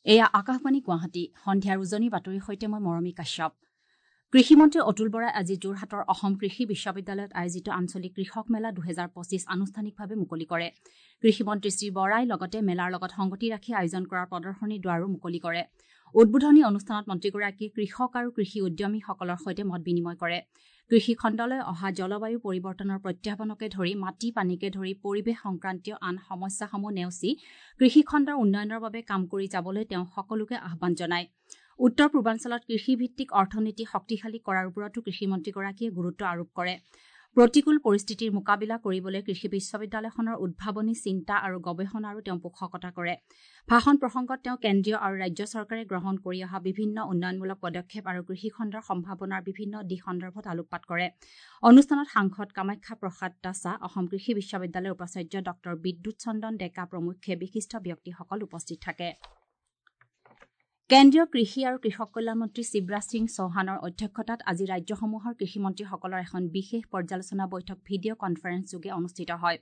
এয়া আকাশবাণী গুৱাহাটী। সন্ধিয়াৰ উজনি বাতৰিৰ সৈতে মই মৰমী কাশ্যপ। কৃষিমন্ত্ৰী অতুল বৰাই আজি যোৰহাটৰ অসম কৃষি বিশ্ববিদ্যালয়ত আয়োজিত আঞ্চলিক কৃষক মেলা ২০২৫ আনুষ্ঠানিকভাৱে মুকলি কৰে। কৃষিমন্ত্ৰী শ্ৰী বৰাই লগতে মেলাৰ লগত সংগতি ৰাখি আয়োজন কৰা প্ৰদৰ্শনীৰ দুৱাৰো মুকলি কৰে। উদ্বোধনী অনুষ্ঠানত মন্ত্ৰীগৰাকীয়ে কৃষক আৰু কৃষি উদ্যমীসকলৰ সৈতে মত বিনিময় কৰে। কৃষি খণ্ডলৈ অহা জলবায়ু পৰিৱৰ্তনৰ প্ৰত্যাহ্বানকে ধৰি মাটি পানীকে ধৰি পৰিৱেশ সংক্ৰান্তীয় আন সমস্যাসমূহ নেওচি কৃষিখণ্ডৰ উন্নয়নৰ বাবে কাম কৰি যাবলৈ তেওঁ সকলোকে আহ্বান জনায়। উত্তৰ পূৰ্বাঞ্চলত কৃষিভিত্তিক অৰ্থনীতি শক্তিশালী কৰাৰ ওপৰতো কৃষিমন্ত্ৰীগৰাকীয়ে গুৰুত্ব আৰোপ কৰে। প্ৰতিকূল পৰিস্থিতিৰ মোকাবিলা কৰিবলৈ কৃষি বিশ্ববিদ্যালয়খনৰ উদ্ভাৱনী চিন্তা আৰু গৱেষণাৰো তেওঁ পোষকতা কৰে। ভাষণ প্ৰসংগত তেওঁ কেন্দ্ৰীয় আৰু ৰাজ্য চৰকাৰে গ্ৰহণ কৰি অহা বিভিন্ন উন্নয়নমূলক পদক্ষেপ আৰু কৃষিখণ্ডৰ সম্ভাৱনাৰ বিভিন্ন দিশ সন্দৰ্ভত আলোকপাত কৰে। অনুষ্ঠানত সাংসদ কামাখ্যা প্ৰসাদ তাছা, অসম কৃষি বিশ্ববিদ্যালয়ৰ উপাচাৰ্য ডঃ বিদ্যুৎ চন্দন ডেকা প্ৰমুখ্যে বিশিষ্ট ব্যক্তিসকল উপস্থিত থাকে। কেন্দ্ৰীয় কৃষি আৰু কৃষক কল্যাণ মন্ত্ৰী শিৱৰাজ সিং চৌহানৰ অধ্যক্ষতাত আজি ৰাজ্যসমূহৰ কৃষিমন্ত্ৰীসকলৰ এখন বিশেষ পৰ্যালোচনা বৈঠক ভিডিঅ' কনফাৰেন্সযোগে অনুষ্ঠিত হয়।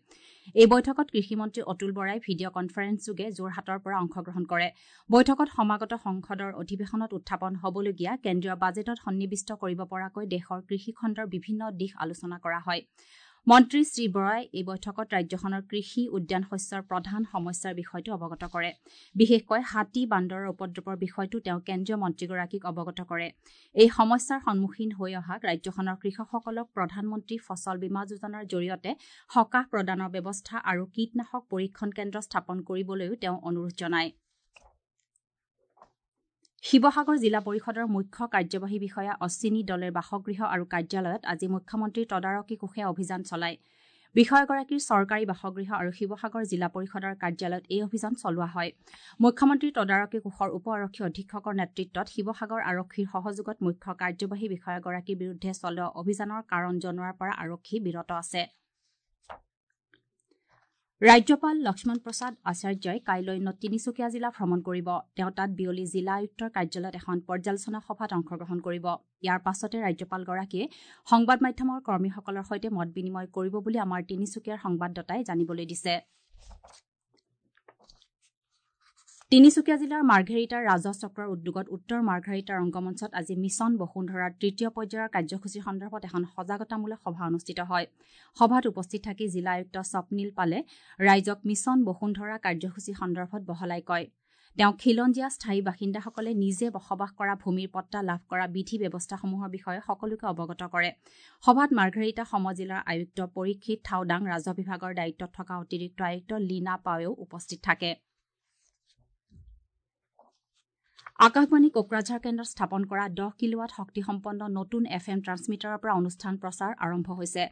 এই বৈঠকত কৃষিমন্ত্ৰী অতুল বৰাই ভিডিঅ' কনফাৰেন্সযোগে যোৰহাটৰ পৰা অংশগ্ৰহণ কৰে। বৈঠকত সমাগত সংসদৰ অধিৱেশনত উত্থাপন হ'বলগীয়া কেন্দ্ৰীয় বাজেটত সন্নিৱিষ্ট কৰিব পৰাকৈ দেশৰ কৃষিখণ্ডৰ বিভিন্ন দিশ আলোচনা কৰা হয়। মন্ত্ৰী শ্ৰী বৰাই এই বৈঠকত ৰাজ্যখনৰ কৃষি উদ্যান শস্যৰ প্ৰধান সমস্যাৰ বিষয়টো অৱগত কৰে। বিশেষকৈ হাতী বান্দৰৰ উপদ্ৰৱৰ বিষয়টো তেওঁ কেন্দ্ৰীয় মন্ত্ৰীগৰাকীক অৱগত কৰে। এই সমস্যাৰ সন্মুখীন হৈ অহা ৰাজ্যখনৰ কৃষকসকলক প্ৰধানমন্ত্ৰী ফচল বীমা যোজনাৰ জৰিয়তে সকাহ প্ৰদানৰ ব্যৱস্থা আৰু কীটনাশক পৰীক্ষণ কেন্দ্ৰ স্থাপন কৰিবলৈও তেওঁ অনুৰোধ জনায়। শিৱসাগৰ জিলা পৰিষদৰ মুখ্য কাৰ্যবাহী বিষয়া অশ্বিনী দলেৰ বাসগৃহ আৰু কাৰ্যালয়ত আজি মুখ্যমন্ত্ৰীৰ তদাৰকী কোষে অভিযান চলায়। বিষয়াগৰাকীৰ চৰকাৰী বাসগৃহ আৰু শিৱসাগৰ জিলা পৰিষদৰ কাৰ্যালয়ত এই অভিযান চলোৱা হয়। মুখ্যমন্ত্ৰীৰ তদাৰকী কোষৰ উপ আৰক্ষী অধীক্ষকৰ নেতৃত্বত শিৱসাগৰ আৰক্ষীৰ সহযোগত মুখ্য কাৰ্যবাহী বিষয়াগৰাকীৰ বিৰুদ্ধে চলোৱা অভিযানৰ কাৰণ জনোৱাৰ পৰা আৰক্ষী বিৰত আছে। ৰাজ্যপাল লক্ষ্মণ প্ৰসাদ আচাৰ্যই কাইলৈ তিনিচুকীয়া জিলা ভ্ৰমণ কৰিব। তেওঁ তাত বিয়লি জিলা আয়ুক্তৰ কাৰ্যালয়ত এখন পৰ্যালোচনা সভাত অংশগ্ৰহণ কৰিব। ইয়াৰ পাছতে ৰাজ্যপালগৰাকীয়ে সংবাদ মাধ্যমৰ কৰ্মীসকলৰ সৈতে মত বিনিময় কৰিব বুলি আমাৰ তিনিচুকীয়াৰ সংবাদদাতাই জানিবলৈ দিছে। তিনিচুকীয়া জিলাৰ মাৰ্ঘেৰিটাৰ ৰাজহ চক্ৰৰ উদ্যোগত উত্তৰ মাৰ্ঘেৰিটা ৰংগমঞ্চত আজি মিছন বসুন্ধৰাৰ তৃতীয় পৰ্যায়ৰ কাৰ্যসূচীৰ সন্দৰ্ভত এখন সজাগতামূলক সভা অনুষ্ঠিত হয়। সভাত উপস্থিত থাকি জিলা আয়ুক্ত স্বপ্নীল পালে ৰাইজক মিছন বসুন্ধৰা কাৰ্যসূচী সন্দৰ্ভত বহলাই কয়। তেওঁ খিলঞ্জীয়া স্থায়ী বাসিন্দাসকলে নিজে বসবাস কৰা ভূমিৰ পট্টা লাভ কৰা বিধি ব্যৱস্থাসমূহৰ বিষয়ে সকলোকে অৱগত কৰে। সভাত মাৰ্ঘেৰিটা সমজিলাৰ আয়ুক্ত পৰীক্ষিত থাওদাং, ৰাজহ বিভাগৰ দায়িত্বত থকা অতিৰিক্ত আয়ুক্ত লীনা পাৱেও উপস্থিত থাকে। আকাশবাণী কোকৰাঝাৰ কেন্দ্ৰত স্থাপন কৰা ১০ কিলোৱাট শক্তিসম্পন্ন নতুন এফ এম ট্ৰান্সমিটাৰৰ পৰা অনুষ্ঠান প্ৰচাৰ আৰম্ভ হৈছে।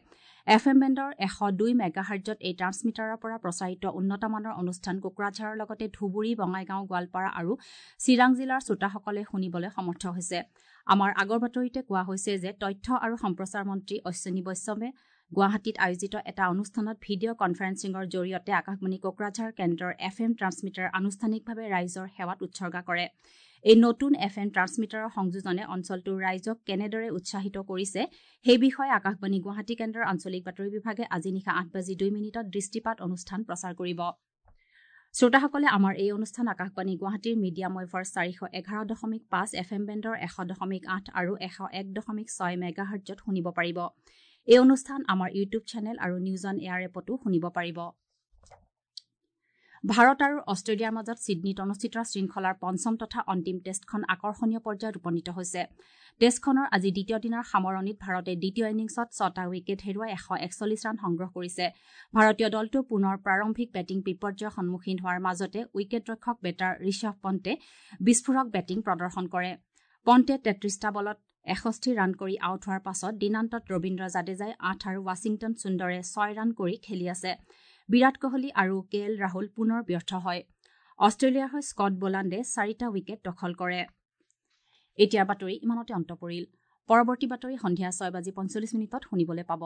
এফ এম বেণ্ডৰ ১০২ মেগাহাৰ্জত এই ট্ৰান্সমিটাৰৰ পৰা প্ৰচাৰিত উন্নতমানৰ অনুষ্ঠান কোকৰাঝাৰৰ লগতে ধুবুৰী, বঙাইগাঁও, গোৱালপাৰা আৰু চিৰাং জিলাৰ শ্ৰোতাসকলে শুনিবলৈ সমৰ্থ হৈছে। আমাৰ আগৰ বাতৰিতে কোৱা হৈছে যে তথ্য আৰু সম্প্ৰচাৰ মন্ত্ৰী অশ্বিনী বৈষ্ণৱে গুৱাহাটীত আয়োজিত এটা অনুষ্ঠানত ভিডিঅ' কনফাৰেন্সিঙৰ জৰিয়তে আকাশবাণী কোকৰাঝাৰ কেন্দ্ৰৰ এফ এম ট্ৰান্সমিটাৰ আনুষ্ঠানিকভাৱে ৰাইজৰ সেৱাত উৎসৰ্গা কৰে। এই নতুন এফ এম ট্ৰান্সমিটাৰৰ সংযোজনে অঞ্চলটোৰ ৰাইজক কেনেদৰে উৎসাহিত কৰিছে সেই বিষয়ে আকাশবাণী গুৱাহাটী কেন্দ্ৰৰ আঞ্চলিক বাতৰি বিভাগে আজি নিশা ৮:০২ দৃষ্টিপাত অনুষ্ঠান প্ৰচাৰ কৰিব। শ্ৰোতাসকলে আমাৰ এই অনুষ্ঠান আকাশবাণী গুৱাহাটীৰ মিডিয়াম ৱেভৰ ৪১১.৫ এফ এম বেণ্ডৰ ১০০.৮ আৰু ১০১.৬ মেগাহাৰ্জত শুনিব পাৰিব। এই অনুষ্ঠান আমাৰ ইউটিউব চেনেল আৰু নিউজ অন এয়াৰ এপতো শুনিব পাৰিব। ভাৰত আৰু অষ্ট্ৰেলিয়াৰ মাজত ছিডনীত অনুষ্ঠিত শৃংখলাৰ পঞ্চম তথা অন্তিম টেষ্টখন আকৰ্ষণীয় পৰ্যায়ত উপনীত হৈছে। টেষ্টখনৰ আজি দ্বিতীয় দিনাৰ সামৰণিত ভাৰতে দ্বিতীয় ইনিংছত ৬টা উইকেট হেৰুৱাই ১৪১ ৰান সংগ্ৰহ কৰিছে। ভাৰতীয় দলটো পুনৰ প্ৰাৰম্ভিক বেটিং বিপৰ্যয়ৰ সন্মুখীন হোৱাৰ মাজতে উইকেটৰক্ষক বেটাৰ ঋষভ পণ্টে বিস্ফোৰক বেটিং প্ৰদৰ্শন কৰে। পণ্টে ৩৩টা বলত ৬১ ৰান কৰি আউট হোৱাৰ পাছত দিনান্তত ৰবীন্দ্ৰ জাদেজাই ৮ আৰু ৱাশ্বিংটন সুন্দৰে ৬ ৰান কৰি খেলি আছে। বিৰাট কোহলি আৰু কে এল ৰাহুল পুনৰ ব্যৰ্থ হয়। অষ্ট্ৰেলিয়াৰ হৈ স্কট বোলাণ্ডে ৪টা উইকেট দখল কৰে। এতিয়াৰ বাতৰি ইমানতে অন্ত পৰিল। পৰৱৰ্তী বাতৰি সন্ধিয়া ৬:৪৫ শুনিবলৈ পাব।